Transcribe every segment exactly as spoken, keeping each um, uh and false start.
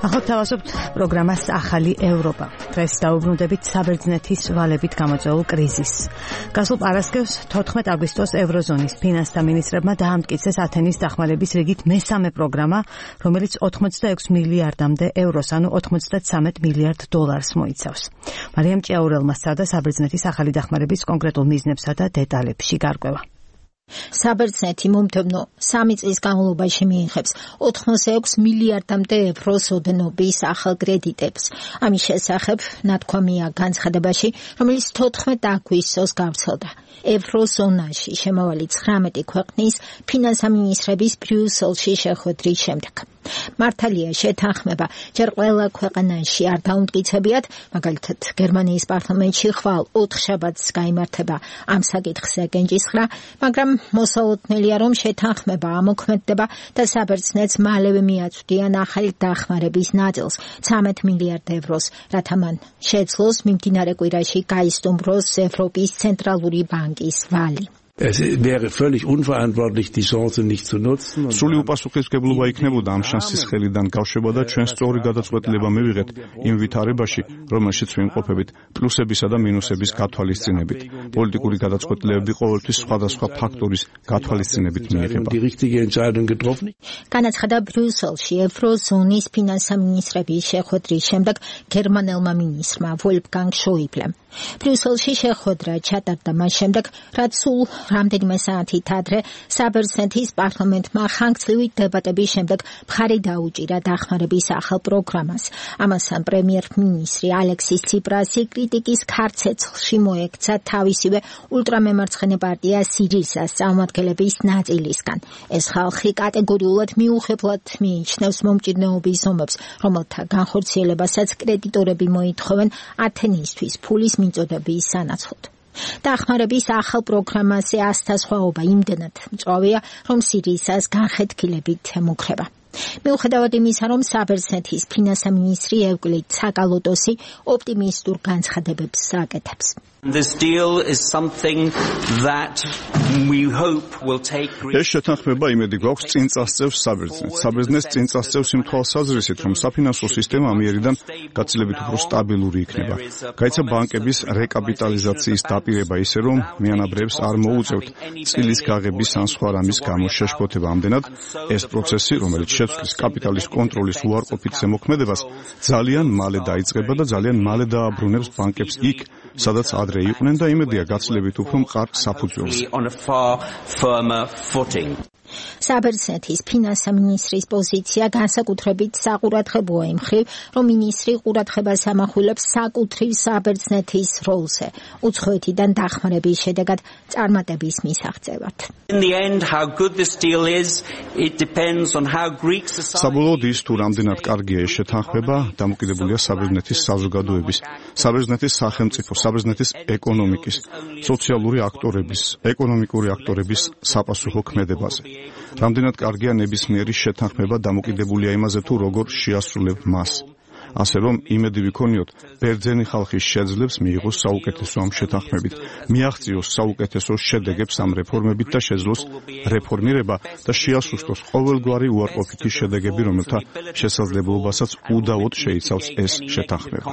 ახლა თავაზობთ პროგრამას ახალი ევროპა. დღეს დაუბრუნდებით საბერძნეთის ვალებით გამოწვეულ კრიზისს. გასულ პარასკევს თოთხმეტ აგვისტოს ევროზონის ფინანსთა მინისტრებმა დაამტკიცეს ათენის დახმარების რიგით მესამე პროგრამა, რომელიც ოცდაექვსი მილიარდამდე ევროს, ანუ ოცდათვრამეტ მილიარდ დოლარს მოიცავს. მარიამ ჭიაურელმა სცადა საბერძნეთის ახალი დახმარების კონკრეტულ მიზნებსა და დეტალებში გარკვევა. საბერძნეთი მომდევნო სამი წლის განმავლობაში მიიღებს ოცდაექვსი მილიარდამდე ევროს ოდენობის ახალ კრედიტებს. ამის შესახებ ნათქვამია განცხადებაში, რომელიც თოთხმეტ აგვისტოს გავრცელდა. ევროზონაში შემავალი ცხრამეტი ქვეყნის ფინანსთა მინისტრების ბრიუსელში შეხვედრის შემდეგ. მართალია შეთანხმება ჯერ ყველა ქვეყანაში არ დაუმტკიცებიათ, მაგალითად გერმანიის პარლამენტში ხვალ ოთხშაბათს გაიმართება ამ საკითხზე კენჭისხრა, მაგრამ მოსალოდნელია, რომ შეთანხმება ამოქმედდება და საბერძნეთს მალევე მიაწვდიან ახალი დახმარების ნაწილს ცხრამეტ მილიარდ ევროს, რათა მან შეძლოს მიმდინარე კვირაში გაისტუმროს ევროპის ცენტრალური ბანკის ვალი. Es wäre völlig unverantwortlich, die Chance nicht zu nutzen. სრული უპასუხისმგებლობა იქნებოდა ამ შანსის ხელიდან გავშვება და ჩვენ სწორი გადაწყვეტილება მივიღეთ იმ ვითარებაში, რომელშიც ვიმყოფებით, პლუსებისა და მინუსების გათვალისწინებით. პოლიტიკური გადაწყვეტილებები ყოველთვის სხვადასხვა ფაქტორის გათვალისწინებით მიიღება. განაცხადა ბრიუსელში ევროზონის ფინანსთა მინისტრების შეხვედრის შემდეგ გერმანელმა მინისტრმა ვოლფგანგ შოიბლემ. ბრიუსელში შეხვედრა ჩატარდა მას შემდეგ, რაც სულ რამდენიმე საათით ადრე საბერძნეთის პარლამენტმა ხანგრძლივი დებატების შემდეგ მხარი დაუჭირა დახმარების ახალ პროგრამას. ამასთან პრემიერ-მინისტრი ალექსის ციპრასი კრიტიკის ქარცეცხლში მოექცა თავისივე ულტრამემარცხენე პარტია სირიზას წარმომადგენლების ნაწილისგან. ეს ხალხი კატეგორიულად მიუღებლად მიიჩნევს მომჭირნეობის ომებს, რომელთა განხორციელებასაც კრედიტორები მოითხოვენ ათენისთვის ფულის მიწოდების სანაცვლოდ. დახმარების ახალ პროგრამაზე ასთასხვაობა იმდენად მწვავეა, რომ სირიზას განხეთქილებით ემუქრება. მიუხედავად იმისა, რომ საბერძნეთის ფინანსთა მინისტრი ევკლიდ საკალოტოსი ოპტიმისტურ განცხადებებს აკეთებს. This deal is something that we hope will take ეს შეთანხმება იმედი გვაქვს წინ წასწევს საბერძნეთს. საბერძნეთს წინ წასწევს იმ თვალსაზრისით, რომ საფინანსო სისტემა ამიერიდან გაცილებით უფრო სტაბილური იქნება. გაიცა ბანკების რეკაპიტალიზაციის დაპირება ისე, რომ მიანაბრებს არ მოუწევთ წილის გაღების ან სხვა რამის გამო შეშფოთება. ამდენად ეს პროცესი, რომელიც შეცვლის კაპიტალის კონტროლის უარყოფით ზემოქმედებას, ძალიან მალე დაიწყება და ძალიან მალე დააბრუნებს ბანკებს იქ, სადაც ადრე იყვნენ და იმედია გაცილებით უფრო მყარ საფუძველზე. საბერძნეთის ფინანსთა მინისტრის პოზიცია განსაკუთრებით საყურადღებოა იმ მხრივ, რომ მინისტრი ყურადღებას ამახვილებს საკუთრივ საბერძნეთის როლზე, უცხოეთიდან დახმარების შედეგად წარმატების მისაღწევად. საბოლოოდ ის თუ რამდენად კარგია ეს შეთანხმება, დამოკიდებულია საბერძნეთის საზოგადოების, საბერძნეთის სახელმწიფო, საბერძნეთის ეკონომიკის, სოციალური აქტორების, ეკონომიკური აქტორების საპასუხო ქმედებაზე. რამდენად კარგია ნებისმიერი შეთანხმება დამოკიდებულია იმაზე, თუ როგორ შეასრულებ მას. ასე რომ იმედი ვიქონიოთ, ბერძენი ხალხის შეძლებს მიიღოს საუკეთესო ამ შეთანხმებით, მიაღწიოს საუკეთესო შედეგებს ამ რეფორმებით და შეძლოს რეფორმირება და შეასუსტოს ყოველგვარი უარყოფითი შედეგები, რომელთა შესაძლებლობასაც უდავოდ შეიცავს ეს შეთანხმება.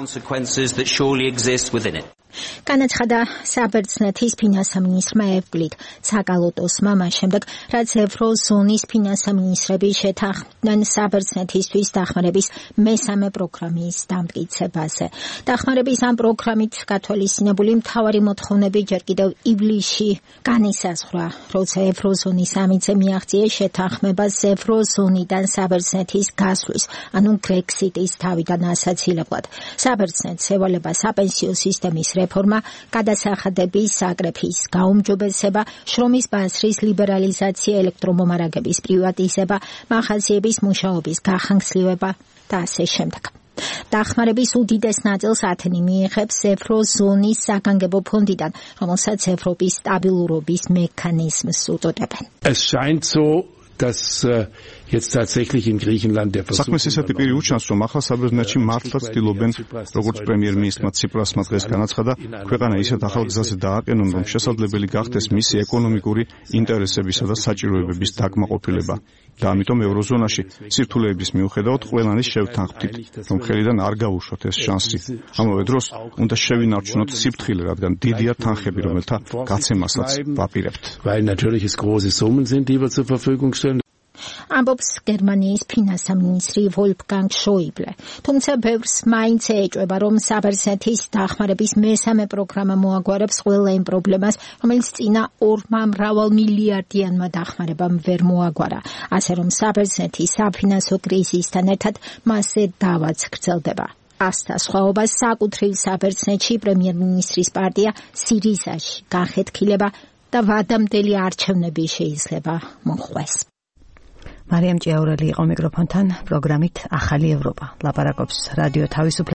განაცხადა საბერძნეთის ფინანსთა მინისტრმა ევკლიდ საკალოტოსმა მას შემდეგ, რაც ევროზონის ფინანსთა მინისტრები შეთანხმდნენ საბერძნეთისთვის დახმარების მესამე პროგრამის დამტკიცებაზე. დახმარების ამ პროგრამით გათვალისწინებული მთავარი მოთხოვნები ჯერ კიდევ ივლისში განისაზღვრა, როცა ევროზონის სამიტზე მიაღწიეს შეთანხმებას ევროზონიდან საბერძნეთის გასვლის, ანუ გრექსიტის თავიდან ასაცილებლად. საბერძნეთს ევალება საპენსიო სისტემის რეფორმა, გადასახადების საკრეფის გაუმჯობესება, შრომის ბაზრის ლიბერალიზაცია, ელექტრომომარაგების პრივატიზება, მაღაზიების მუშაობის გახანგრძლივება და ასე შემდეგ. დახმარების უდიდეს ნაწილს ათენი მიიღებს ევროზონის საგანგებო ფონდიდან, რომელსაც ევროპის სტაბილურობის მექანიზმს უწოდებენ. Es scheint so, dass jetzt tatsächlich in Griechenland der Versuch საქმეს ისეთი პირი უჩანს, რომ ახლა საბერძნეთში მართლა ცდილობენ, როგორც პრემიერ-მინისტრმა ციპრასმა დღეს განაცხადა, ქვეყანა ისეთ ახალ გზაზე დააყენონ, რომ შესაძლებელი გახდეს მისი ეკონომიკური ინტერესებისა და საჭიროებების დაკმაყოფილება. და ამიტომ ევროზონაში სირთულეების მიუხედავად ყველანი შევთანხმდით, რომ ხელიდან არ გავუშვათ ეს შანსი. ამავე დროს უნდა შევინარჩუნოთ სიფრთხილე, რადგან დიდია თანხები, რომელთა გაცემასაც ვაპირებთ. weil natürlich es große Summen sind, die wir zur Verfügung stellen. ამბობს გერმანიის ფინანსამინისტრი ვოლფგანგ შოიბლე. თუმცა ბევრს მაინც ეჭვება, რომ საბერძნეთის დახმარების მესამე პროგრამა მოაგვარებს ყველა იმ პრობლემას, რომელიც წინა ორმა მრავალ მილიარდიანმა დახმარებამ ვერ მოაგვარა. ასე რომ საბერძნეთი საფინანსო კრიზისთან ერთად მასზე დავაც გრძელდება. ასთა სხვაობას საკუთრივ საბერძნეთში პრემიერ-მინისტრის პარტია სირიზაში განხეთქილება და ვადამდელი არჩევნები შეიძლება მოხდეს. მარიამ ჭიაურელი იყო მიკროფონთან პროგრამით ახალი ევროპა. ლაპარაკობს რადიო თავისუფლება.